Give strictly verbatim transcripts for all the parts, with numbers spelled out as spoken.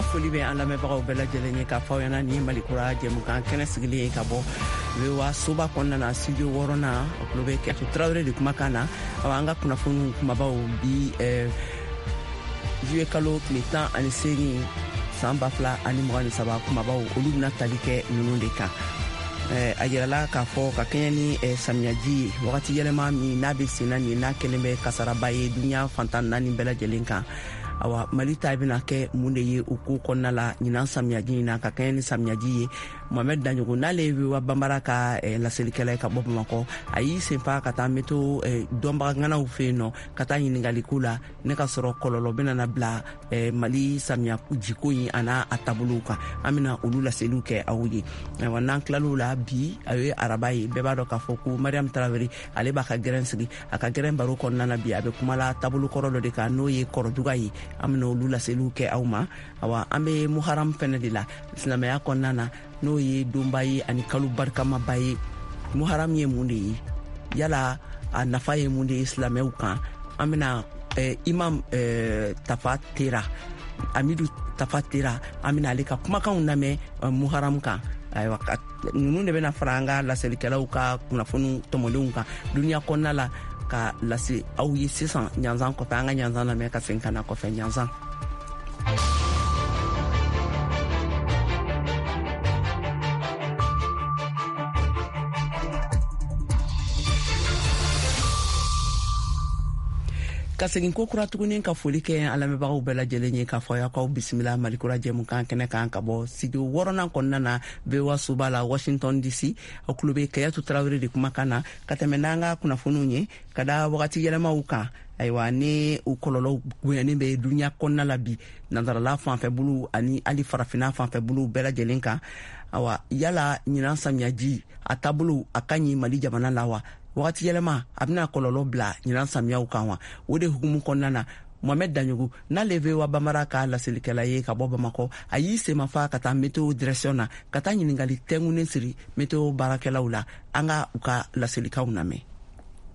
An ka foli bɛ an lamɛnbagaw bɛɛ lajɛlen ye k'a fɔ aw ɲɛna nin ye Malikura jɛmukan kɛnɛ sigilen ye ka bɔ V O A soba kɔnɔna na studio wɔɔrɔnan. O tulo bɛ Kɛtu Tarawele de kumakan na. Awa, an ka kunnafoniw kumabaw bi juillet kalo tile tan ani seegin san ba fila ani mugan ni saba, kumabaw olu bɛna tali kɛ ninnu de kan. A yirala k'a fɔ ka kɛɲɛ ni samiyaji ye, wagati yɛlɛma min n'a bɛ senna nin n'a kɛlen bɛ kasaraba ye duniya fantan naani bɛɛ lajɛlen kan. Awa, Mali ta bɛna kɛ mun de ye o ko kɔnɔna la ɲinan samiyaji in na ka kɛɲɛ ni samiyaji ye? Mohamed Daɲogo, n'ale ye V O A Banbara ka laselikɛla ye ka bɔ Bamakɔ, a y'i senfa ka taa météo dɔnbaga ŋanaw fɛ yen nɔ ka taa ɲininkaliko la ne ka sɔrɔ kɔlɔlɔ bɛna na bila Mali samiya jiko in a n'a a taabolow kan. An bɛna olu laseliw kɛ aw ye. Ayiwa, n'an tilal'o la, bi a ye araba ye, bɛɛ b'a dɔn k'a fɔ ko Mariam Tarawele ale b'a ka gɛrɛn sigi. A ka gɛrɛn baro kɔnɔna na bi, a bɛ kumala taabolo kɔrɔ dɔ de kan, n'o ye kɔrɔduga ye. An bɛna olu laseliw kɛ aw ma. Awa, an bɛ Muharam fɛnɛ de la silamɛya kɔnɔna na, n'o ye donba ye ani kalo barikamaba ye. Muharam ye mun de ye? Yala a nafa ye mun de ye silamɛw kan? An bɛna eh, imam eh, Tafa Tera, Amidu Tafa Tera, an bɛna ale ka kumakanw lamɛn eh, Muharam kan. Ayiwa, ninnu de bɛna fara an ka laselikɛlaw ka kunnafoniw tɔmɔlenw kan duniya kɔnɔna la ka lase aw ye sisan ɲanzan kɔfɛ. An ka ɲanzan lamɛn ka segin ka na kɔfɛ ɲanzan. Ka segin ko kura tuguni ka foli kɛ an lamɛnbagaw bɛɛ lajɛlen ye k'a fɔ aw bisimila Malikura jɛmukan kɛnɛ kan ka bɔ studio wɔɔrɔnan kɔnɔna na V O A soba la Washington D C. Aw tulo bɛ Kɛyatu Tarawele de kumakan na ka tɛmɛ n'an ka kunnafoniw ye ka da wagati yɛlɛmaw kan. Ayiwa, ni u kɔlɔlɔw bonyanen bɛ duniya kɔnɔna la bi, nansarala fanfɛ bolow ani hali farafinna fanfɛ bolow bɛɛ lajɛlen kan. Awa, yala ɲinan samiyaji a taabolo a ka ɲi Mali jamana la wa? Wagati yɛlɛma a bɛna kɔlɔlɔ bila ɲinan samiyaw kan wa? O de hukumu kɔnɔna na, Mohamed Daɲogo, n'ale V O A Banbara ka laselikɛla ye ka bɔ Bamakɔ, a y'i senmafa ka taa météo direction na ka taa ɲininkali tɛnkunnen siri météo baarakɛlaw la. An ka u ka laselikaw lamɛn.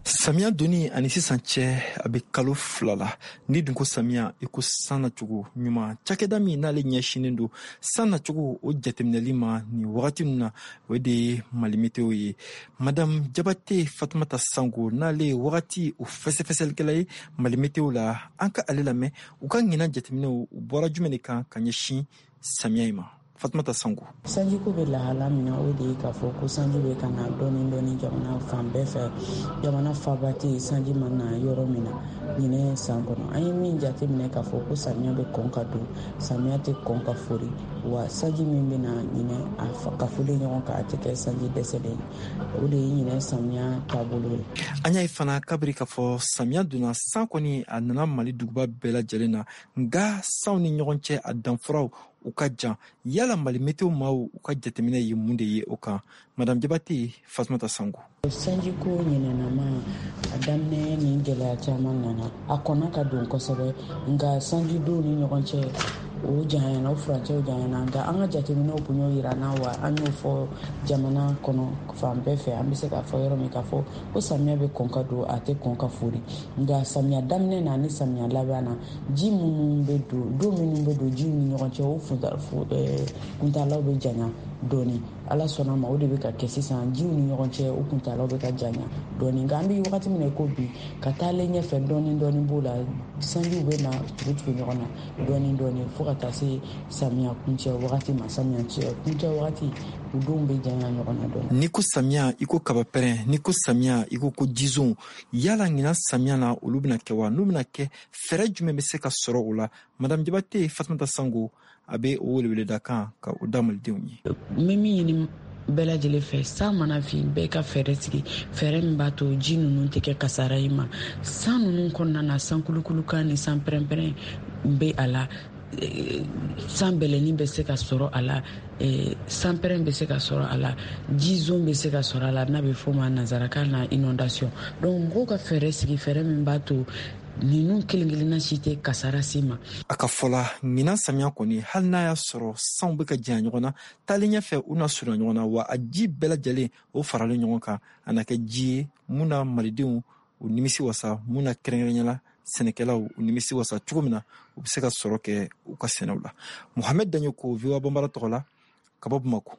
Samiya donni ani sisan cɛ a bɛ kalo fila la. Ni dun ko samiya, i ko san nacogo ɲuman. Cakɛda min n'ale ɲɛsinnen don san nacogo o jateminɛli ma nin wagati ninnu na, o de ye Mali Météo ye. Madame Jabate Fatumata Sango, n'ale ye wagati o fɛsɛfɛsɛlikɛla ye Mali Météo la, an ka ale lamɛn u ka ɲinan jateminɛw u bɔra jumɛn de kan ka ɲɛsin samiya in ma. Fatumata Sango. Sanjiko bɛ lahala min na, o de ye k'a fɔ ko sanji bɛ ka na dɔɔni dɔɔni jamana fan bɛɛ fɛ. Jamana faaba tɛ yen sanji ma na yɔrɔ min na ɲinɛ san kɔnɔ. An ye min jateminɛ k'a fɔ ko samiya bɛ kɔn ka don, samiya tɛ kɔn ka fori, wa sanji min bɛ na ɲinɛ a ka foli ɲɔgɔn kan, a tɛ kɛ sanji dɛsɛlen ye. O de ye ɲinɛ samiya taabolo ye. An y'a ye fana kabiri k'a fɔ samiya donna, san kɔni a nana Mali duguba bɛɛ lajɛlen na, nka sanw ni ɲɔgɔn cɛ a danfaraw u ka jan. Yala Mali Météo maaw u ka jateminɛ ye mun de ye o kan? Madame Jabate Fatumata Sango. Sanjiko ɲinɛnama a daminɛ ni gɛlɛya caman nana, a kɔnna ka don kosɛbɛ, nka sanjidenw ni ɲɔgɔn cɛ o janyana, o furancɛw janyana. Nka an ka jateminɛw kun y'o yira an na, wa an y'o fɔ jamana kɔnɔ fan bɛɛ fɛ. An bɛ se k'a fɔ yɔrɔ min k'a fɔ ko samiya bɛ kɔn ka don, a tɛ kɔn ka fori. Nka samiya daminɛ na ni samiya laban na, ji minnu bɛ don, don minnu bɛ don jiw ni ɲɔgɔn cɛ, o kuntalaw bɛ janya dɔɔni. Ala sɔnna ma, o de bɛ ka kɛ sisan, jiw ni ɲɔgɔn cɛ o kuntalaw bɛ ka janya dɔɔni. Nka an bɛ wagati min na ko bi, ka taalen ɲɛfɛ dɔɔni dɔɔni b'o la, sanjiw bɛ na tugu tugu ɲɔgɔn na dɔɔni dɔɔni fo ka taa se samiya kuncɛ wagati ma. Samiya kuncɛ wagati u denw bɛ janya ɲɔgɔn na dɔɔni. N'i ko samiya i ko kabapɛrɛn, n'i ko samiya i ko ko jizon. Yala ɲinan samiya na olu bɛna kɛ wa? N'u bɛna kɛ, fɛɛrɛ jumɛn bɛ se ka sɔrɔ o la? Madame Jabate Fatumata Sango a bɛ o weleweleda kan ka o da malidenw ye. N bɛ min ɲini bɛɛ lajɛlen fɛ, san mana fin, bɛɛ ka fɛɛrɛ sigi, fɛɛrɛ min b'a to ji ninnu tɛ kɛ kasara ye ma. San ninnu kɔnɔna na, san kulukulukan ni san pɛrɛnpɛrɛn bɛ a la, san bɛlɛnin bɛ se ka sɔrɔ a la, san pɛrɛn bɛ se ka sɔrɔ a la, jizon bɛ se ka sɔrɔ a la, n'a bɛ fɔ o ma nanzarakan na inondation. Donc mɔgɔw ka fɛɛrɛ sigi, fɛɛrɛ min b'a to ninnu kelen kelenna si tɛ kasara se ma. A ka fɔ la, ɲinan samiya kɔni, hali n'a y'a sɔrɔ sanw bɛ ka janya ɲɔgɔn na, taalen ɲɛfɛ u na surunya ɲɔgɔn na, wa a ji bɛɛ lajɛlen o faralen ɲɔgɔn kan, a na kɛ ji ye mun na malidenw u nimisi wasa, mun na kɛrɛnkɛrɛnnenya la sɛnɛkɛlaw u nimisi wasa cogo min na u bɛ se ka sɔrɔ kɛ u ka sɛnɛw la. Mohamed Dagnoko, V O A Bambara tɔgɔ la, ka bɔ Bamakɔ.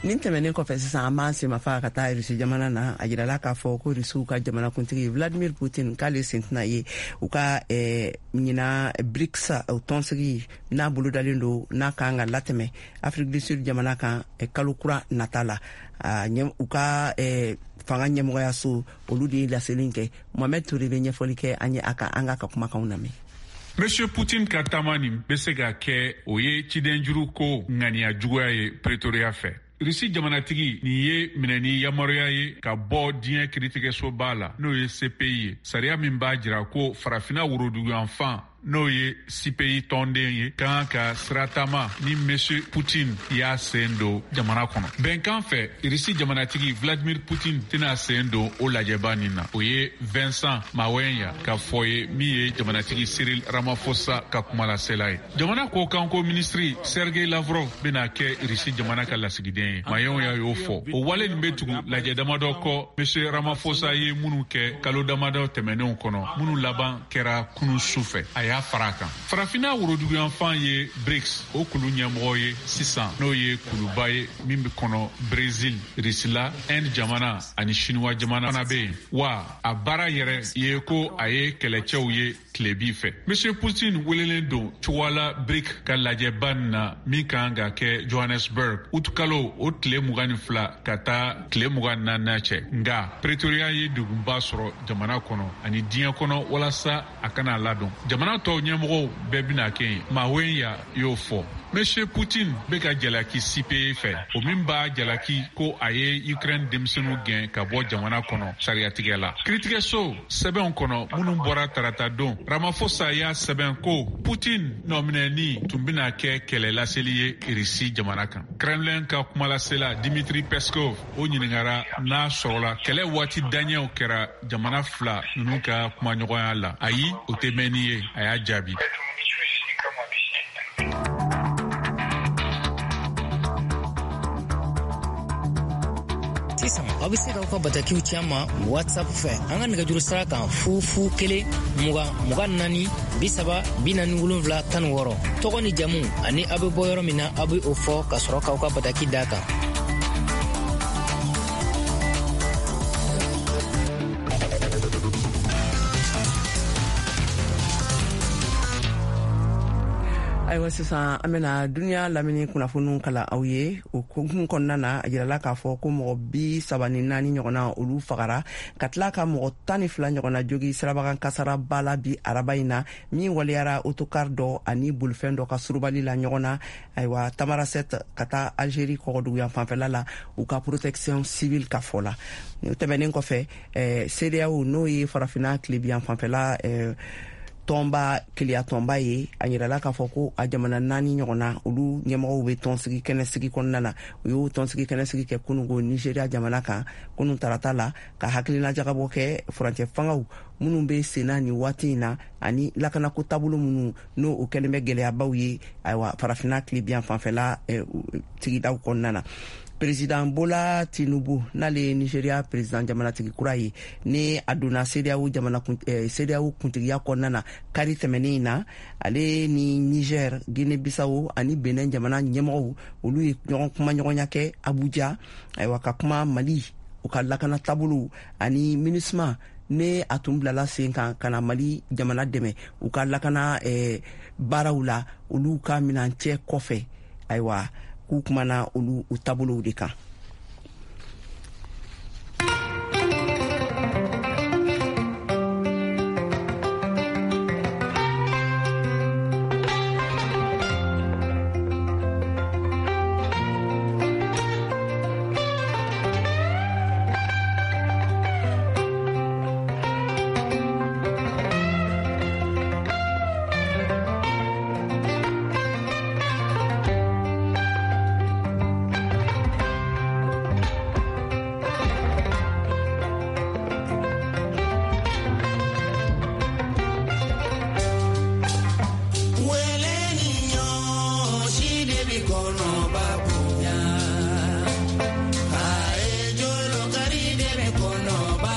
Nin tɛmɛnen kɔfɛ sisan, an b'an senmafa ka taa Rusi jamana na. A jirala k'a fɔ ko Rusiw ka jamanakuntigi Vladimir Putin k'ale sen tɛna ye u ka eh, ɲina BRICS tɔnsigi n'a bolodalen don, n'a kan ka latɛmɛ Afrique du Sud jamana kan eh, kalo kura nata la. U ka eh, fanga ɲɛmɔgɔyaso olu de ye laseli kɛ. Mohamed Touré bɛ ɲɛfɔli kɛ an ye a kan, an k'a ka kumakanw lamɛn. Monsieur Putin ka taama nin bɛ se ka kɛ o ye cidenjuru ko ŋaniya juguya ye Pretoria fɛ. Rusi jamanatigi nin ye minɛni yamaruya ye ka bɔ diɲɛ kiritigɛsoba la, n'o ye C P I ye, sariya min b'a jira ko farafina woroduguyanfan, n'o ye C P I tɔnden ye, kan ka siratama ni Monsieur Putin y'a sen don jamana kɔnɔ. Bɛnkan fɛ, Rusi jamanatigi Vladimir Putin tɛna sen don o lajɛba nin na. O ye Vincent Mawenya ka fɔ ye, min ye jamanatigi Cyril Ramaphosa ka kumalasela ye. Jamana kɔkanko minisiri Sergei Lavrov bɛna kɛ Rusi jamana ka lasigiden ye. Mawenya y'o fɔ. O wale nin bɛ tugu lajɛ damadɔ kɔ Monsieur Ramaphosa ye minnu kɛ kalo damadɔ tɛmɛnenw kɔnɔ, minnu laban kɛra kunun su fɛ. A y'a fara a kan. Farafinna woroduguyanfan ye BRICS o kulu ɲɛmɔgɔ ye sisan, n'o ye kuluba ye min bɛ kɔnɔ Brésil, Rusila, Inde jamana ani Chinois jamana fana bɛ yen. Wa a baara yɛrɛ ye ko a ye kɛlɛcɛw ye tilebi fɛ. Monsieur Putin welelen don cogoya la BRIC ka lajɛba nin na min kan ka kɛ Johannesburg utukalo o tile mugan ni fila ka taa tile mugan ni naani cɛ. Nka Pretoria ye degunba sɔrɔ jamana kɔnɔ ani diɲɛ kɔnɔ walasa a kana ladon. Jamana tɔw ɲɛmɔgɔw bɛɛ bɛna kɛ yen. Mawenya y'o fɔ. Monsieur Putin bɛ ka jalaki C P E fɛ, o min b'a jalaki ko a ye Ukraine denmisɛnninw gɛn ka bɔ jamana kɔnɔ sariyatigɛ la. Kiritigɛso sɛbɛnw kɔnɔ minnu bɔra tarata don, Ramaphosa y'a sɛbɛn ko Putin nɔminɛni tun bɛna kɛ kɛlɛ laseli ye Irisi jamana kan. Kremlin ka kumalasela Dimitri Peskov o ɲininkara n'a sɔrɔla kɛlɛ waati daɲɛw kɛra jamana fila ninnu ka kumaɲɔgɔnya la. Ayi, o tɛ mɛn ni ye, a y'a jaabi. Sisan aw bɛ se k'aw ka batakiw ci an ma WhatsApp fɛ an ka nɛgɛjuru sira kan fu fu kelen mugan mugan naani bi saba bi naani wolonwula tan ni wɔɔrɔ. Tɔgɔ ni jamu ani aw bɛ bɔ yɔrɔ min na, aw bɛ o fɔ ka sɔrɔ k'aw ka bataki d'a kan. Ayiwa, sisan an bɛna duniya lamini kunnafoniw kalan aw ye. O hukumu kɔnɔna na, a jirala k'a fɔ ko mɔgɔ bi saba ni naani ɲɔgɔnna olu fagara, ka tila ka mɔgɔ tan ni fila ɲɔgɔnna jogi sirabakan kasaraba la bi araba in na, min waleyara otokar dɔ ani bolifɛn dɔ ka surubali la ɲɔgɔn na. Ayiwa, Tamarasɛt ka taa Algérie kɔgɔduguyan fanfɛla la, u ka protection civile ka fɔ la. O tɛmɛnen kɔfɛ, eh, CEDEAO, n'o ye farafinna tilebiyan fanfɛla eh, tɔnba keleya tɔnba ye, a yirala k'a fɔ ko a jamana naani ɲɔgɔnna olu ɲɛmɔgɔw bɛ tɔnsigi kɛnɛsigi kɔnɔna na. U y'o tɔnsigi kɛnɛsigi kɛ kununko Nigeria jamana kan kunun tarata la, ka hakilina jagabɔ kɛ furancɛ fangaw minnu bɛ senna nin waati in na ani lakanako taabolo minnu n'o o kɛlen bɛ gɛlɛyabaw ye, ayiwa, farafinna tilebiyan fanfɛla sigidaw kɔnɔna na. Président Bola Tinubu, n'ale ye Nigeria président jamanatigi kura ye, ni a donna CEDEAO jamana eh, CEDEAO kuntigiya kɔnɔna na kari tɛmɛnen in na, ale ni Niger, Guinée-Bissau ani Benin jamana ɲɛmɔgɔw olu ye ɲɔgɔn kumaɲɔgɔnya kɛ Abuja, ayiwa, ka kuma Mali u ka lakana taabolo ani MINUSMA ne a tun bilala sen kan ka na Mali jamana dɛmɛ u ka lakana eh, baaraw la olu ka minancɛ kɔfɛ. Ayiwa, k'u kumana olu u taabolow de kan. Kɔnɔ ba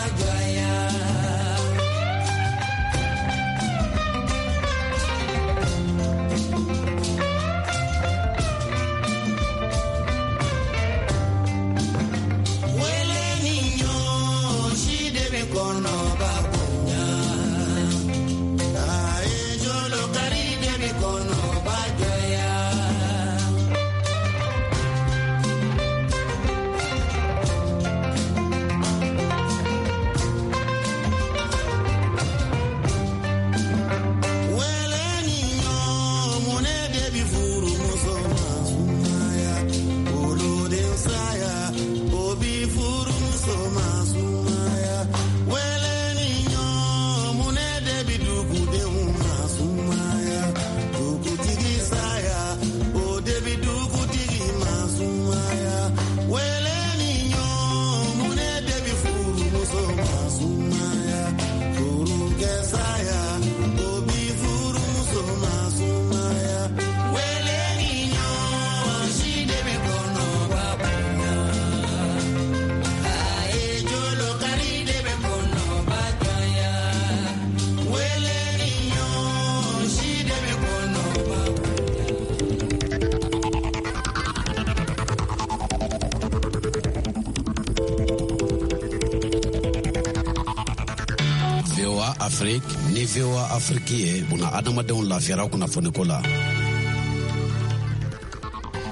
Afrique ni V O A Afrique ye, buna adamadenw lafiyara kunnafoniko la.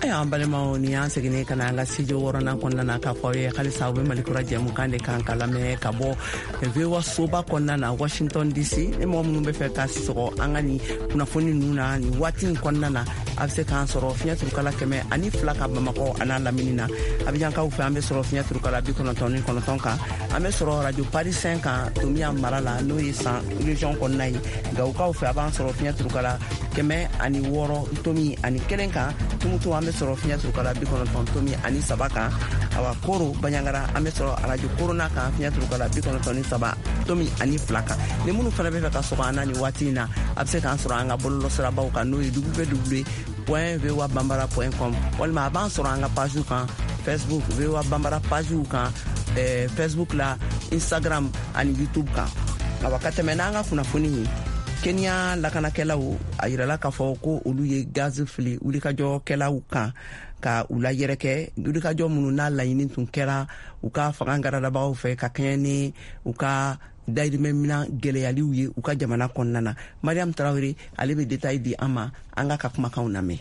Ayiwa, an balimaw, ni y'an seginnen ka na an ka studio wɔɔrɔnan kɔnɔna na k'a fɔ aw ye halisa aw bɛ Malikura jɛmukan de kan ka lamɛn ka bɔ V O A soba kɔnɔna na, Washington D C. Ni mɔgɔ minnu bɛ fɛ ka sɔgɔ an ka nin kunnafoni ninnu na nin waati in kɔnɔna na, a bɛ se k'an sɔrɔ fiɲɛ turukala kɛmɛ ani fila ka Bamakɔ a n'a lamini na. Abijankaw fɛ, an bɛ sɔrɔ fiɲɛ turukala bi kɔnɔntɔn ni kɔnɔntɔn kan. An bɛ sɔrɔ radio Paris cinq kan Tomiya mara la, n'o ye San région kɔnɔna ye. Gawukaw fɛ, a b'an sɔrɔ fiɲɛ turukala kɛmɛ ani wɔɔrɔ tomi ani kelen kan. Tumutu, an bɛ sɔrɔ fiɲɛ turukala bi kɔnɔntɔn tomi ani saba kan. Awa, Koro Baɲangara, an bɛ sɔrɔ arajo Korona kan, fiɲɛ turukala bi kɔnɔntɔn ni saba tomi ani fila kan. Ni minnu fana bɛ fɛ ka sɔgɔ an na nin waati in na, a bɛ se k'an sɔrɔ an ka bɔlɔlɔsirabaw kan, n'o ye W W W point voa bambara point com, walima a b'an sɔrɔ an ka pagew kan Facebook, V O A Bambara pagew kan eh, Facebook la, Instagram ani YouTube kan. Awa, ka tɛmɛ n'an ka kunnafoni ye, Kenya lakanakɛlaw a yirala k'a fɔ ko olu ye gazi fili wulikajɔkɛlaw kan ka u layɛrɛkɛ, wulikajɔ minnu n'a laɲini tun kɛra u ka fanga garadabagaw fɛ ka kɛɲɛ ni u ka dayirimɛ minan gɛlɛyaliw ye u ka jamana kɔnɔna na. Mariam Tarawele, ale bɛ détail di an ma. An ka ka kumakanw lamɛn.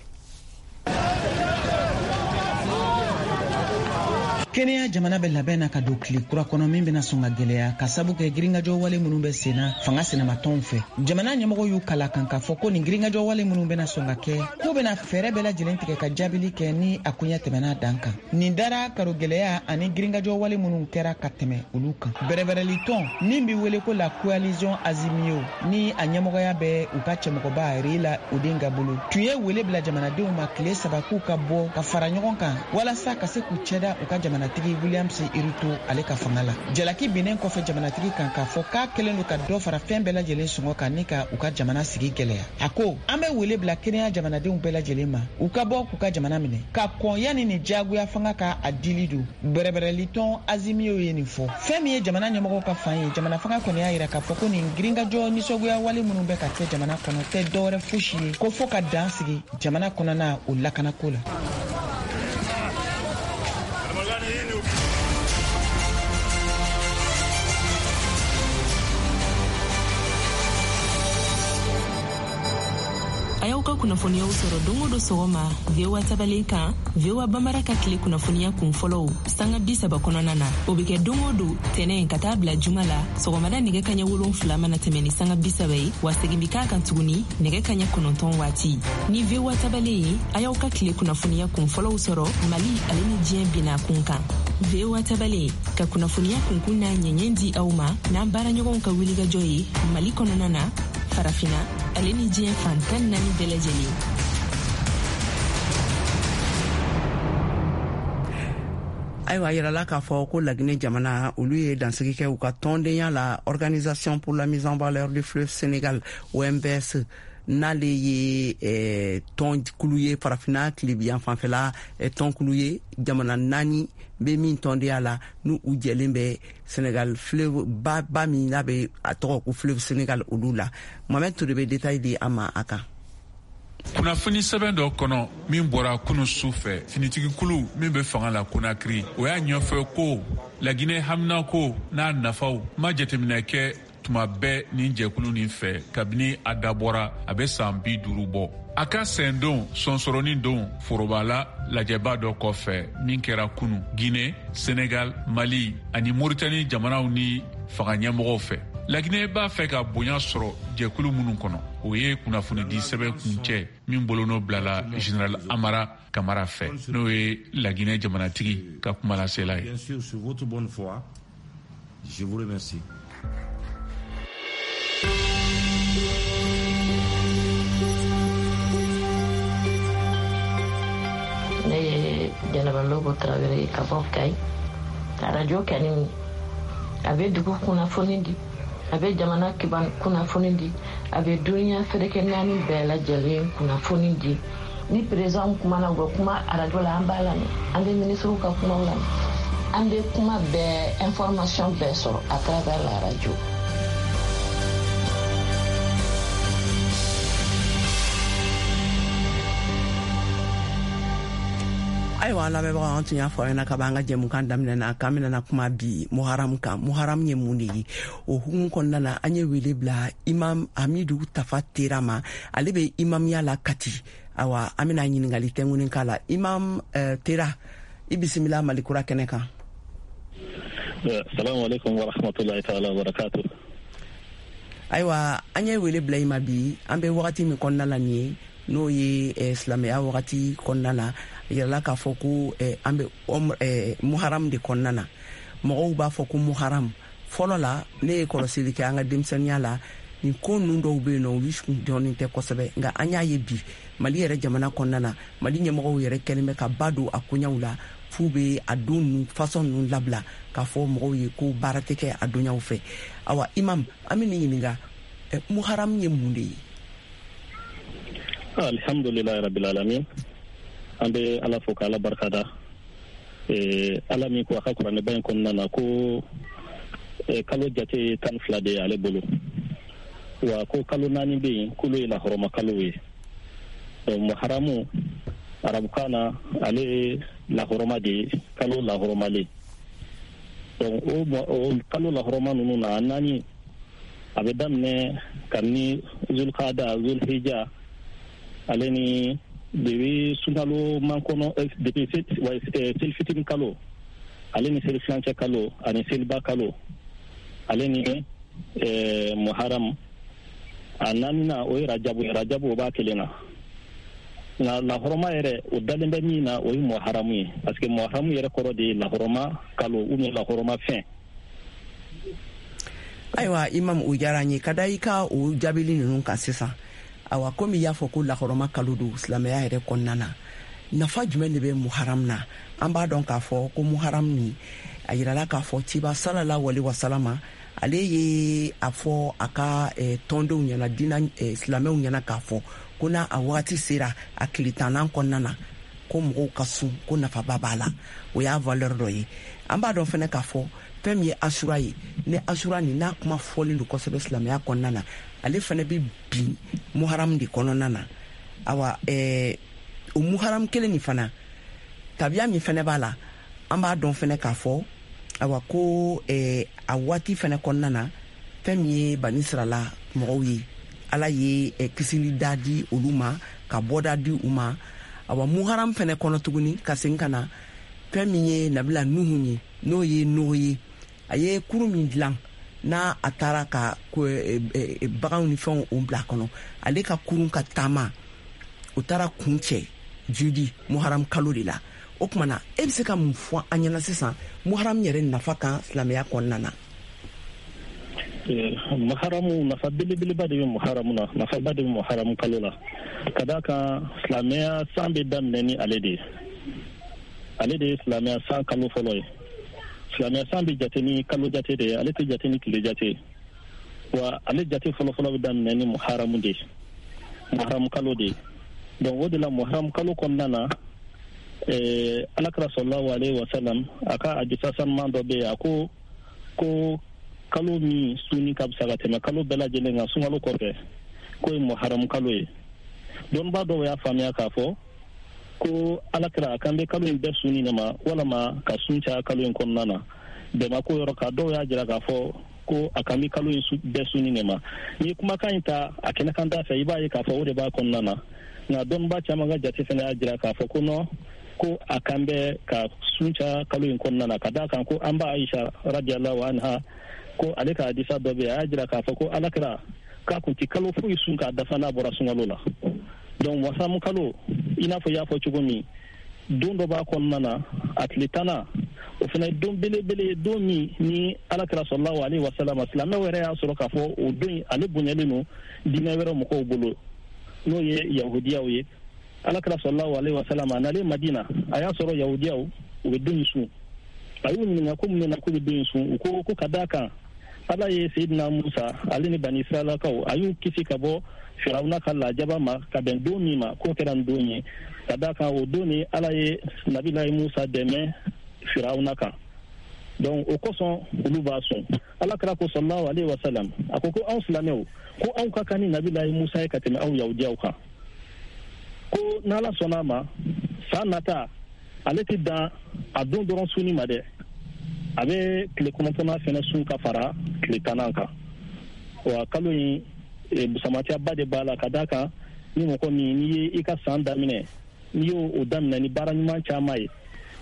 Kenya jamana bɛ labɛn na ka don tile kura kɔnɔ min bɛna sɔn ka gwɛlɛya, ka sabu kɛ girinkajɔ wale minnu bɛ senna fanga sinamatɔnw fɛ. Jamana ɲɛmɔgɔ y'u kala kan k'a fɔ ko nin girinkajɔ wale minnu bɛna sɔn ka kɛ, k'u bɛna fɛɛrɛ bɛɛ lajɛlen tigɛ ka jaabili kɛ ni a koɲɛ tɛmɛna dan kan. Nin dara karo gwɛlɛya ani girinkajɔ wale minnu kɛra ka tɛmɛ olu kan. Bɛrɛbɛrɛlitɔn min be wele ko la Coalition Azimio, ni a ɲɛmɔgɔya bɛ u ka cɛmɔgɔba Raila Odinga bolo, tun ye wele bila jamanadenw ma tile saba k'u ka bɔ ka fara ɲɔgɔn kan walasa ka se k'u cɛda u ka jamanatigi Williams Ruto ale ka fanga la. Jalaki binnen kɔfɛ jamanatigi kan k'a fɔ k'a kɛlen don ka dɔ fara fɛn bɛɛ lajɛlen sɔngɔ kan ni ka u ka jamana sigi gwɛlɛya, a ko an bɛ wele bila Kenya jamanadenw bɛɛ lajɛlen ma, u ka bɔ k'u ka jamana minɛ ka kɔn yanni ni diyagoya fanga ka a dili don. Bɛrɛbɛrɛlitɔn Azimio ye nin fɔ. Fɛn min ye jamana ɲɛmɔgɔw ka fan ye, jamana fanga kɔni y'a yira k'a fɔ ko nin girinkajɔ nisɔngoya wale minnu bɛ ka kɛ jamana kɔnɔ tɛ dɔwɛrɛ fosi ye ko fɔ ka dan sigi jamana kɔnɔna o lakanako la. A y'aw ka kunnafoniyaw sɔrɔ don o don sɔgɔma V O A tabalen kan, V O A Bambara ka tile kunnafoniya kun fɔlɔw sanga bi saba kɔnɔna na. O be kɛ don o don tɛnɛ ka taa bila juma la, sɔgɔmada nɛgɛ kaɲɛ wolonfila mana tɛmɛ ni sanga bi saba ye, wa segin bi k'a kan tuguni nɛgɛ kaɲɛ kɔnɔntɔn waati. Ni V O A tabalen ye, a y'aw ka tile kunnafoniya kun fɔlɔw sɔrɔ Mali ale ni diɲɛ bina kun kan. V O A tabalen ka kunnafoniya kunkun n'a ɲɛɲɛ di aw ma n'an baaraɲɔgɔnw ka wulikajɔ ye Mali kɔnɔna na, Farafina ale ni diɲɛ fan tan naani bɛɛ lajɛlen. Ayiwa, a yirala k'a fɔ ko Laginɛ jamana, olu ye dansigi kɛ u ka tɔndenya la Organisation pour la mise en valeur du fleuve Sénégal, O M V S, n'ale ye eh, tɔnkulu ye Farafina tilebiyan fanfɛla eh, tɔnkulu ye, jamana naani bɛ min tɔndenya la, n'u u jɛlen bɛ Sénégal fleuve ba ba min n'a bɛ a tɔgɔ ko fleuve Sénégal olu la. Mohamed Touré bɛ détail di an ma a kan. Kunnafoni sɛbɛn dɔ kɔnɔ min bɔra kunu su fɛ, finitigikulu min bɛ fanga la Konakiri, o y'a ɲɛfɔ ko Laginɛ haminako n'a nafaw ma jateminɛ kɛ tuma bɛɛ nin jɛkulu nin fɛ kabini a dabɔra a bɛ san bi duuru bɔ. A ka sendon sɔnsɔrɔnin don forobala lajɛba dɔ kɔfɛ min kɛra kunu Guinée, Senegal, Mali ani Moritani jamanaw ni fanga ɲɛmɔgɔw fɛ. Laginɛ b'a fɛ ka bonya sɔrɔ jɛkulu minnu kɔnɔ, o ye kunnafonidi sɛbɛn kuncɛ min bolonɔ bilala général Amara Kamara fɛ, n'o ye Laginɛ jamanatigi ka kumalasela ye. Bien sûr, sur votre bonne foi, je vous remercie. Ne ye Jɛnɛba Lobo Tarawele ye ka bɔ Kayi. Arajo kɛni, a bɛ dugu kunnafoni di, a bɛ jamana kiban kunnafoni di, a bɛ duniya ferekɛ naani bɛɛ lajɛlen kunnafoni di. Ni président kumana, u bɛ kuma arajo la, an b'a lamɛn. An bɛ minisiriw ka kumaw lamɛn, an bɛ kuma bɛɛ, information bɛɛ sɔrɔ à travers la radio. Ayiwa, an lamɛnbagaw, an tun y'a fɔ aw ɲɛna ka b'an ka jɛmukan daminɛ na k'an bɛna kuma bi Muharam kan. Muharam ye mun de ye? O hukumu kɔnɔna na, an ye wele bila Imam Hamidu Tafa Tera ma. Ale bɛ imamiya la Kati. Awa, an bɛna ɲininkali tɛnkunin k'a la. Imam uh, Tera, i bisimila Malikura kɛnɛ kan. Salamu alaikum wa rahmatullahi ta'ala wa barakatuh. Ayiwa, an ye wele bila i ma bi. An bɛ wagati min kɔnɔna la nin ye, n'o ye eh, silamɛya wagati kɔnɔna na, yirala k'a fɔ ko eh, an bɛ eh, Muharam de kɔnɔna na. Mɔgɔw b'a fɔ ko Muharam. Fɔlɔ la, ne ye kɔlɔsili kɛ an ka denmisɛnninya la, nin ko ninnu dɔw bɛ yen nɔ, olu kun dɔnnen tɛ kosɛbɛ. Nka an y'a ye bi Mali yɛrɛ jamana kɔnɔna na, Mali ɲɛmɔgɔw yɛrɛ kɛlen bɛ ka ba don a koɲaw la, f'u bɛ a don ninnu fasɔn ninnu labila k'a fɔ mɔgɔw ye ko baara tɛ kɛ a donyaw fɛ. Awa, imam, an bɛ nin ɲininka, Muharam ye mun de ye? Alhamdulilahi rabbil alamin. An bɛ Ala fo k'Ala barika da. Ala min ko a ka kuranɛba in kɔnɔna na ko kalo jate ye tan fila de ye ale bolo, wa ko kalo naani bɛ yen k'olu ye lahɔrɔma kalo ye. Donc Muharamu arabukan na, ale ye lahɔrɔma de ye, kalo lahɔrɔmalen. Donc o kalo lahɔrɔma ninnu na, a naani, a bɛ daminɛ kabini Zulkada, Zulhija, ale ni depuis sunkalo mankɔnɔ, depuis selifitini kalo, ale ni seli filancɛ kalo, ani seliba kalo, ale ni Muharam. A naaninan, o ye Rajabu ye. Rajabu, o b'a kelen na. Nka lahɔrɔma yɛrɛ, o dalen bɛ min na, o ye Muharamu ye, parce que Muharamu yɛrɛ kɔrɔ de ye lahɔrɔma kalo ou bien lahɔrɔma fɛn. Ayiwa, imam, o diyara n ye ka da i ka o jaabili ninnu kan sisan. Awa, komi i y'a fɔ ko lahɔrɔma kalo don silamɛya yɛrɛ kɔnɔna na, nafa jumɛn de bɛ Muharam na? An b'a dɔn k'a fɔ ko Muharam ni a yirala k'a fɔ ciba sallallahu alaihi wasalama, ale ye a fɔ a ka eh, tɔndenw ɲɛna, diina eh, silamɛw ɲɛna, k'a fɔ ko n'a a wagati sera, a tile tannan kɔnɔna na, ko mɔgɔw ka sun, ko nafaba b'a la. O y'a valeur dɔ ye. An b'a dɔn fɛnɛ k'a fɔ fɛn min ye Asura ye, ni Asura nin n'a kuma fɔlen don kosɛbɛ silamɛya kɔnɔna na, ale fɛnɛ bɛ bin Muharam de kɔnɔna na. Awa, eh, o Muharam kelen nin fana, tabiya min fɛnɛ b'a la, an b'a dɔn fɛnɛ k'a fɔ, awa, ko eh, a waati fɛnɛ kɔnɔna na, fɛn min ye Banisirala mɔgɔw ye, Ala ye eh, kisili da di olu ma, ka bɔda di u ma. Awa, Muharam fɛnɛ kɔnɔ tuguni, ka segin ka na, fɛn min ye Nabila Nuhu ye, n'o ye Noe ye, a ye kurun min dilan n'a a taara ka baganw ni fɛnw o bila a kɔnɔ, ale ka kurun ka taama, o taara kun cɛ judi Muharam kalo de la. O tuma na, e bɛ se ka mun fɔ an ɲɛna sisan Muharam yɛrɛ nafa kan silamɛya kɔnɔna na? Muharamu, nafa belebeleba de bɛ Muharamu na, nafaba de bɛ Muharamu kalo la, ka d'a kan silamɛya san bɛ daminɛ ni ale de ye. Ale de ye silamɛya san kalo fɔlɔ ye. Silamɛya san bɛ jate ni kalo jate de ye, ale tɛ jate ni tile jate ye. Wa ale jate fɔlɔfɔlɔ bɛ daminɛ ni Muharamu de ye, Muharamu kalo de ye. Donc o de la, Muharamu kalo kɔnɔna na, eh, Alakira sallallahu alaihi wa sallam, a ka hadisa sanuman dɔ bɛ yen, a ko ko kalo min sunni ka fisa ka tɛmɛ kalo bɛɛ lajɛlen kan sunkalo kɔfɛ, k'o ye Muharamu kalo ye. Dɔnnibaa dɔw y'a faamuya k'a fɔ ko Alakira a kan bɛ kalo in bɛɛ sunni de ma, walama ka sun caya kalo in kɔnɔna na. Bɛnba ko yɔrɔ kan, dɔw y'a jira k'a fɔ ko a kan bɛ kalo in bɛɛ sunni de ma. N'i ye kumakan in ta a kɛnɛkan da fɛ, i b'a ye k'a fɔ o de b'a kɔnɔna na. Nka dɔnnibaa caman ka jate fana y'a jira k'a fɔ ko non, ko a kan bɛ ka sun caya kalo in kɔnɔna na, ka d'a kan ko an ba Aisha radiyallahu anha, ko ale ka hadisa dɔ bɛ yen, a y'a jira k'a fɔ ko Alakira k'a kun ti kalo foyi sun k'a dafa n'a bɔra sunkalo la. Donc Muharamu kalo, i n'a fɔ i y'a fɔ cogo min, don dɔ b'a kɔnɔna na, a tile tannan, o fana ye don belebele ye, don min ni Alakira sallallahu alaihi wasallam, silamɛw yɛrɛ y'a sɔrɔ k'a fɔ o don ale bonyalen don diinɛ wɛrɛ mɔgɔw bolo, n'o ye yahudiyaw ye. Alakira sallallahu alaihi wasallam, a nalen Madina, a y'a sɔrɔ yahudiyaw u bɛ don in sun. A y'u ɲininka ko mun na k'u bɛ don in sun. U ko ko ka d'a kan Ala ye Seydina Musa, ale ni Bani Israilakaw, a y'u kisi ka bɔ Firawuna ka lajaba ma ka bɛn don min ma, k'o kɛra nin don ye, ka d'a kan o don ni Ala ye Nabilayi Musa dɛmɛ Firawuna kan. Donc o kosɔn olu b'a sun. Alakira ko sallallahu alaihi wasallam, a ko ko anw silamɛw, ko anw ka kan ni Nabilayi Musa ye ka tɛmɛ aw yahudiyaw kan, ko n'Ala sɔnna a ma, san nata Ale tɛ dan a don dɔrɔn sunni ma dɛ, a bɛ tile kɔnɔntɔnnan fɛnɛ sun ka fara tile tannan kan. Wa kalo in busamatiyaba de b'a la, ka d'a kan ni mɔgɔ min n'i ye i ka san daminɛ, n'i y'o daminɛ ni baara ɲuman caman ye,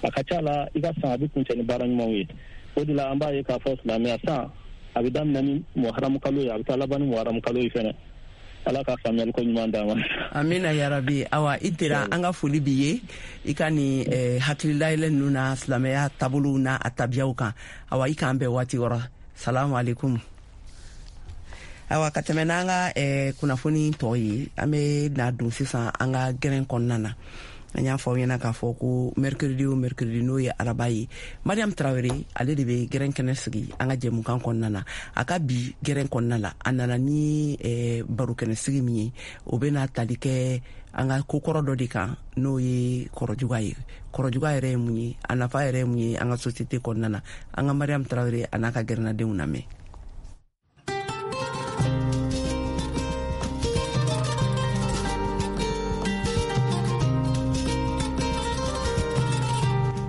a ka ca la i ka san a bɛ kuncɛ ni baara ɲumanw ye. O de la an b'a ye k'a fɔ silamɛya san a bɛ daminɛ ni muharamu kalo ye, a bɛ taa laban ni muharamu kalo ye fɛnɛ. Ala ka faamuyali ko ɲuman d'an ma. Amina yarabi. Awa i tera, an ka foli b'i ye i ka nin eh, hakililayɛlɛ ninnu na silamɛya taabolow n'a a tabiyaw kan. Awa i k'an bɛn waati wɔrɔ. Salamu aleykum. Awa ka tɛmɛ n'an ka eh, kunnafoni tɔ ye, an bɛ na don sisan an ka gɛrɛn kɔnɔna na. An y'a fɔ aw ɲɛna k'a fɔ ko mercredi o mercredi, n'o ye araba ye, Mariam Traoré ale de bɛ gɛrɛn kɛnɛ sigi an ka jɛmukan kɔnɔna na. A ka bi gɛrɛn kɔnɔna la, a nana ni eh, barokɛnɛ sigi min ye, o bɛna tali kɛ an ka kokɔrɔ dɔ de kan, n'o ye kɔrɔjuga ye. Kɔrɔjuga yɛrɛ ye mun ye, a nafa yɛrɛ ye mun ye an ka société kɔnɔna na? An ka Mariam Traoré a n'a ka gɛrɛnnadenw lamɛn.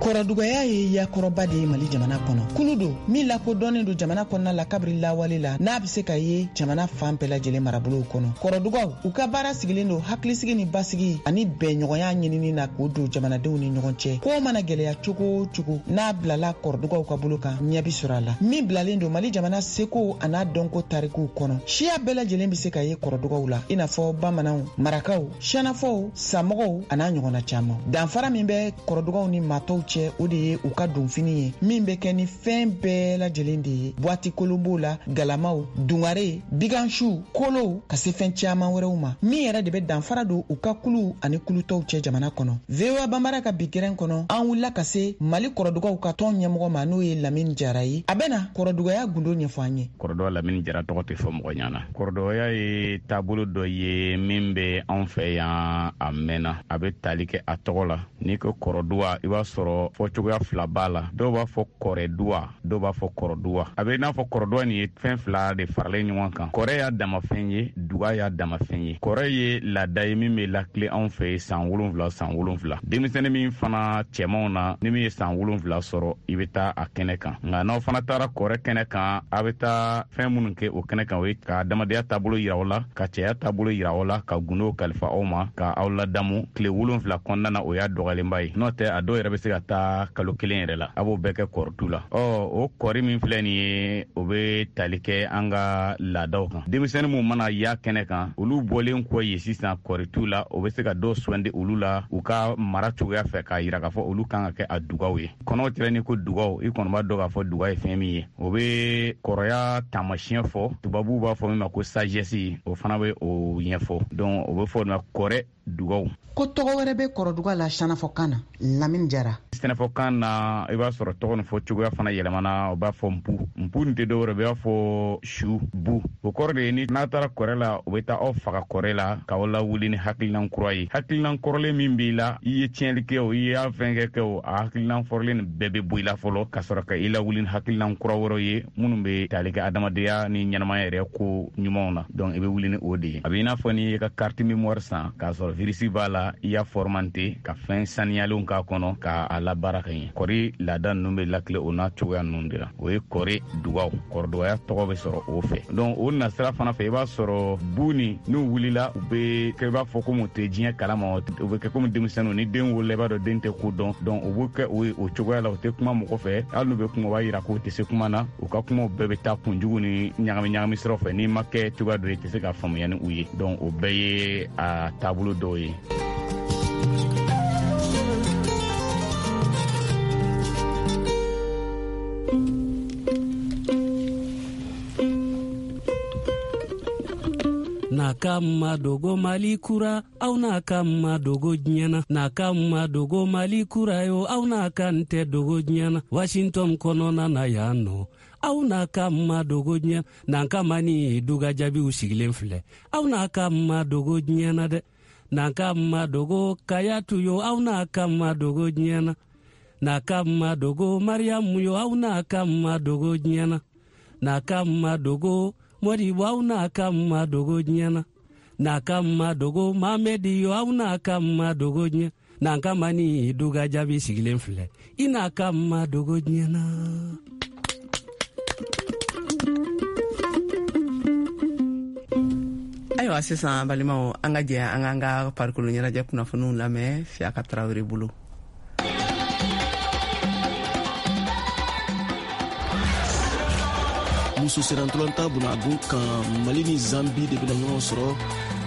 Kɔrɔdugaya ye yakɔrɔba de ye Mali jamana kɔnɔ. Kulu don min lakodɔnnen don jamana kɔnɔna la kabiri lawale la, n'a bɛ se ka ye jamana fan bɛɛ lajɛlen marabolow kɔnɔ. Kɔrɔdugaw u ka baara sigilen don hakilisigi ni basigi ani bɛnɲɔgɔnya ɲinini na k'o don jamanadenw ni ɲɔgɔn cɛ. Ko mana gɛlɛya cogo o cogo, n'a bilala kɔrɔdugaw ka bolo kan, ɲɛ bi sɔrɔ a la. Min bilalen don Mali jamana seko a n'a dɔnko tarikuw kɔnɔ, siya bɛɛ lajɛlen bɛ se ka ye kɔrɔdugaw la, i n'a fɔ bamananw, marakaw, siyanafɔw, samɔgɔw a n'a ɲɔgɔnna caman. Danfara min bɛ kɔrɔdugaw ni maatɔw cɛ, o de ye u ka donfini ye min bɛ kɛ ni fɛn bɛɛ lajɛlen de ye. Buwati kolon b'o la, galamaw, dungare, bigansiw, kolow, ka se fɛn caman wɛrɛw ma, min yɛrɛ de bɛ danfara don u ka kuluw ani kulutɔw cɛ jamana kɔnɔ. V O A Banbara ka bi gɛrɛn kɔnɔ, an wulila ka se Mali kɔrɔdugaw ka tɔn ɲɛmɔgɔ ma, n'o ye Lamini Jara ye. A bɛna kɔrɔdugaya gundo ɲɛfɔ an ye. Kɔrɔdɔ Lamini Jara tɔgɔ tɛ fɔ mɔgɔ ɲɛna. Kɔrɔdɔya ye taabolo dɔ ye min bɛ anw fɛ yan a mɛnna, a bɛ tali kɛ a tɔgɔ la. N'i ko kɔrɔduwa, i b'a sɔrɔ fɔcogoya fila b'a la. Dɔw b'a fɔ kɔrɛduwa, dɔw b'a fɔ kɔrɔduwa. A bɛ n'a fɔ kɔrɔduwa nin ye fɛn fila de faralen ɲɔgɔn kan. Kɔrɛ y'a damafɛn ye, duga y'a damafɛn ye. Kɔrɛ ye laada ye min bɛ lakile anw fɛ san wolonfila san wolonfila. Denmisɛnnin min fana cɛmanw na, ni min ye san wolonfila sɔrɔ, i bɛ taa a kɛnɛ kan. Nka n'aw fana taara kɔrɛ kɛnɛ kan, a bɛ taa fɛn minnu kɛ o kɛnɛ kan, o ye ka adamadenya taabolo yira aw la, ka cɛya taabolo yira aw la, ka gundow kalifa aw ma, ka aw ladamu tile wolonfila kɔnɔna na. O y'a dɔgɔyalenba ye, n'o tɛ a dɔw yɛrɛ bɛ se ka taa kalo kelen yɛrɛ la. A b'o bɛɛ kɛ kɔrɔtu la. Ɔ o kɔri min filɛ nin ye, o bɛ tali kɛ an ka laadaw kan. Denmisɛnnin minnu mana ya kɛnɛ kan, olu bɔlen kɔ yen sisan kɔritu la, o bɛ se ka dɔw sugandi olu la u ka mara cogoya fɛ, k'a yira k'a fɔ olu kan ka kɛ a dugaw ye. Kɔnɔw tɛrɛ ni ko dugaw, i kɔni b'a dɔn k'a fɔ duga ye fɛn min ye. O bɛ kɔrɔya taamasiyɛn fɔ, tubabuw b'a fɔ min ma ko sagesse, o fana bɛ o ɲɛfɔ. Donc o bɛ fɔ o ma kɔrɛ dugaw. Ko tɔgɔ wɛrɛ bɛ kɔrɔduga la sɛnɛfɔkan na, Lamini Jara. Sɛnɛfɔkan na, i b'a sɔrɔ tɔgɔ nin fɔ cogoya fana yɛlɛmana. O b'a fɔ npu. Npu nin tɛ dɔwɛrɛ, o b'a fɔ su bu. O kɔrɔ de ye ni n'a taara kɔrɛ la, o bɛ taa aw faga kɔrɛ la k'aw lawuli ni hakilinan kura ye. Hakilinan kɔrɔlen min b'i la, i ye tiɲɛli kɛ o, i y'a fɛn kɛ kɛ o, a hakilinan fɔrɔlen nin bɛɛ bɛ bɔ i la fɔlɔ, ka sɔrɔ ka i lawuli ni hakilinan kura wɛrɛw ye minnu bɛ tali kɛ adamadenya ni ɲɛnamaya yɛrɛ ko ɲumanw na. Donc i bɛ wuli ni o de ye. A bɛ i n'a fɔ n'i y'i ka carte mémoire san k'a sɔrɔ virus b'a la, i y'a formanté ka fɛn saniyalenw k'a kɔnɔ k'a labaara ka ɲɛ. Kɔri laada ninnu bɛ lakile o n'a cogoya ninnu de la. O ye kɔri dugaw, kɔrɔdugaya tɔgɔ bɛ sɔrɔ o fɛ. Donc o nasira fana fɛ, i b'a sɔrɔ bu ni n'u wulila, u bɛ kɛ i b'a fɔ komi u tɛ diɲɛ kalama, u bɛ kɛ komi denmisɛnninw. Ni den wolola, i b'a dɔn den tɛ ko dɔn. Donc u bɛ kɛ o ye o cogoya la, u tɛ kuma mɔgɔ fɛ. Hali n'u bɛ kuma, u b'a yira k'u tɛ se kuma na. U ka kumaw bɛɛ bɛ taa kunjugu ni ɲagami ɲagami siraw fɛ. N'i ma kɛ cogoya dɔ ye, i tɛ se ka faamuya ni u ye. Donc o bɛɛ ye a taabolo dɔw ye. N'a ka madogo Mali kura, aw n'a ka madogo diɲɛ na. N'a ka madogo Mali kura yo, aw n'a ka n tɛ dogo diɲɛ na. Washington kɔnɔna na yan nɔ, aw n'a ka madogo diɲɛ. N'an ka mani duga jaabiw sigilen filɛ, aw n'a ka madogo diɲɛ na dɛ. N'an ka madogo Kayatu yo, aw n'a ka madogo diɲɛ na. N'a ka madogo Mariamu yo, aw n'a ka madogo diɲɛ na. N'a ka madogo Modibo, aw n'a ka madogo diɲɛ na. N'a ka madogo Mamedi yo, aw n'a ka madogo diɲɛ. N'an kama ni duga jaabi sigilen filɛ, i n'a ka ma dogo diɲɛ na. Ayiwa sisan balimaw, an ka jɛ an k'an ka farikolo ɲɛnajɛ kunnafoniw lamɛn Siyaka Tarawele bolo. Muso sennantolatan bunagun kan, Mali ni Zambi de bɛna ɲɔgɔn sɔrɔ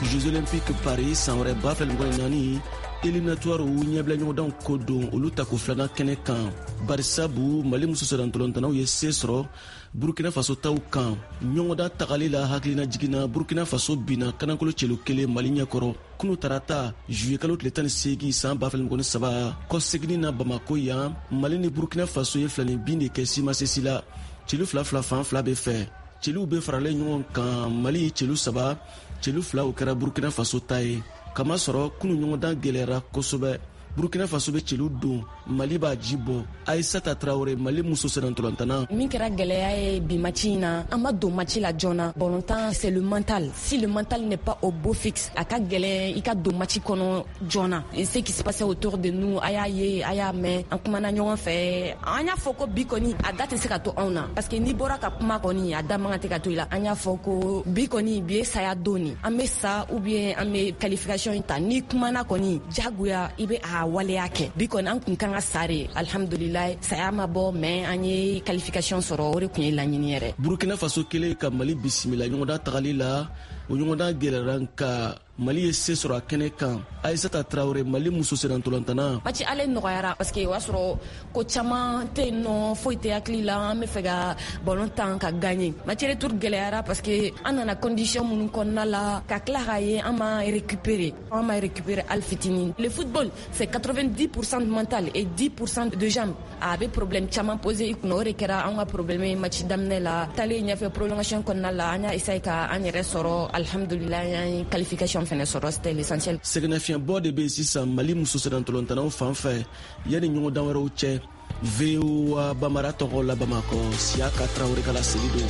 Jeux Olympiques Paris san wɛrɛ ba fila mugan ni naani éliminatoire ɲɛbila ɲɔgɔndanw ko don, olu tako filanan kɛnɛ kan. Barisabu Mali muso sennantolatannaw ye se sɔrɔ Burkina Faso taw kan ɲɔgɔndan tagali la. Hakilina jiginna, Burkina Faso binna kanankolo celu kelen Mali ɲɛkɔrɔ kunu tarata juillet kalo tile tan ni seegin san ba fila mugan ni saba kɔseginni na Bamako yan. Mali ni Burkina Faso ye filani bin de kɛ simasesi la, celu fila fila fan fila bɛ fɛ. Celu bɛ faralen ɲɔgɔn kan, Mali celu saba, celu fila o kɛra Burkina Faso ta ye. Kamasɔrɔ kunu ɲɔgɔndan gɛlɛyara kosɛbɛ. Burkina Faso bɛ celu don, Mali b'a ji bɔ. Aissata Traoré, Mali muso sennantolatan. Min kɛra gɛlɛya ye bi match in na, an ma don match la joona. Ballontan, c'est le mental. Si le mental n'est pas au beau fixe, a ka gɛlɛn i ka don match kɔnɔ joona. Et ce qui se passait autour de nous, a y'a ye, a y'a mɛn, an kumana ɲɔgɔn fɛ. An y'a fɔ ko bi kɔni a da tɛ se ka to anw na, parce que n'i bɔra ka kuma kɔni, a da man kan tɛ ka to i la. An y'a fɔ ko bi kɔni bi ye saya don ni, an bɛ sa ou bien an bɛ qualification in ta. N'i kumana kɔni, jagoya i bɛ a waleya kɛ. Bi kɔni an kun kan ka sa de, alhamdulilayi saya ma bɔ, mais an ye qualification sɔrɔ, o de kun ye laɲini yɛrɛ. Burkina Faso kelen ka Mali bisimila ɲɔgɔndan tagali la, o ɲɔgɔndan gɛlɛyara nka Mali ye se sɔrɔ a kɛnɛ kan. Aissata Traoré, Mali muso sennantolatan. Match ale nɔgɔyara parce que o y'a sɔrɔ ko caman tɛ yen nɔ, foyi tɛ hakili la, an bɛ fɛ ka ballon tan ka gagner. Match retour gɛlɛyara parce que an nana condition minnu kɔnɔna la, ka tila k'a ye an ma récupérer, an ma récupérer hali fitinin. Le football, c'est quatre-vingt-dix pour cent de mental et dix pour cent de jambes. A bɛ problème caman poser i kunna, o de kɛra an ka problème ye match daminɛ la. Taalen ɲɛfɛ prolongation kɔnɔna la, an y'a essayer ka an yɛrɛ sɔrɔ, alhamdulilayi an ye qualification fɛnɛ sɔrɔ, c'était l'essentiel. Sɛgɛnnafiɲɛbɔ de bɛ yen sisan Mali muso sennantolatannaw fan fɛ yanni ɲɔgɔndan wɛrɛw cɛ. V O A Bamara tɔgɔ la Bamakɔ, Siyaka Tarawele ka laseli don.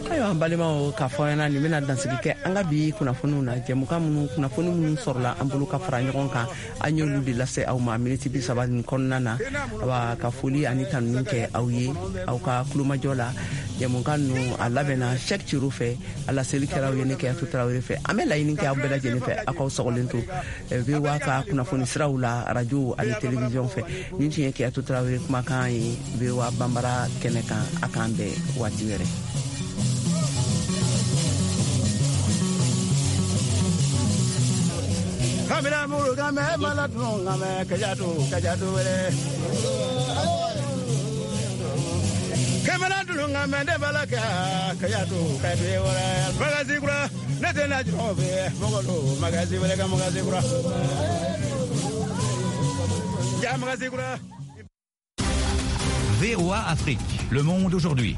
Ayiwa an balimaw, k'a fɔ ɲɛna nin bɛna dansigi kɛ an ka bi kunnafoniw na. Jɛmukan minnu kunnafoni minnu sɔrɔla an bolo ka fara ɲɔgɔn kan, an y'olu de lase aw ma miniti bi saba nin kɔnɔna na. Awa ka foli ani tanuni kɛ aw ye aw ka kulomajɔ la. Jɛmukan ninnu a labɛnna Cheick Ciro fɛ, a laseli kɛra aw ye ne Kɛyatu Tarawele fɛ. An bɛ laɲini kɛ aw bɛɛ lajɛlen fɛ, aw k'aw sɔgɔlen to V O A ka kunnafoni siraw la, arajo ani télévision fɛ. Nin tun ye Kɛyatu Tarawele kumakan ye V O A Banbara kɛnɛ kan. A k'an bɛn waati wɛrɛ. Kamina muru kame maladun kame kajatu kajatu wele. Kamina dulun kame de balaka kajatu kajatu wele. Magazi kura ne tɛ na jɔn fɛ mɔgɔ magazi wele ka magazi kura. Ja magazi kura. V O A Afrique, le monde aujourd'hui.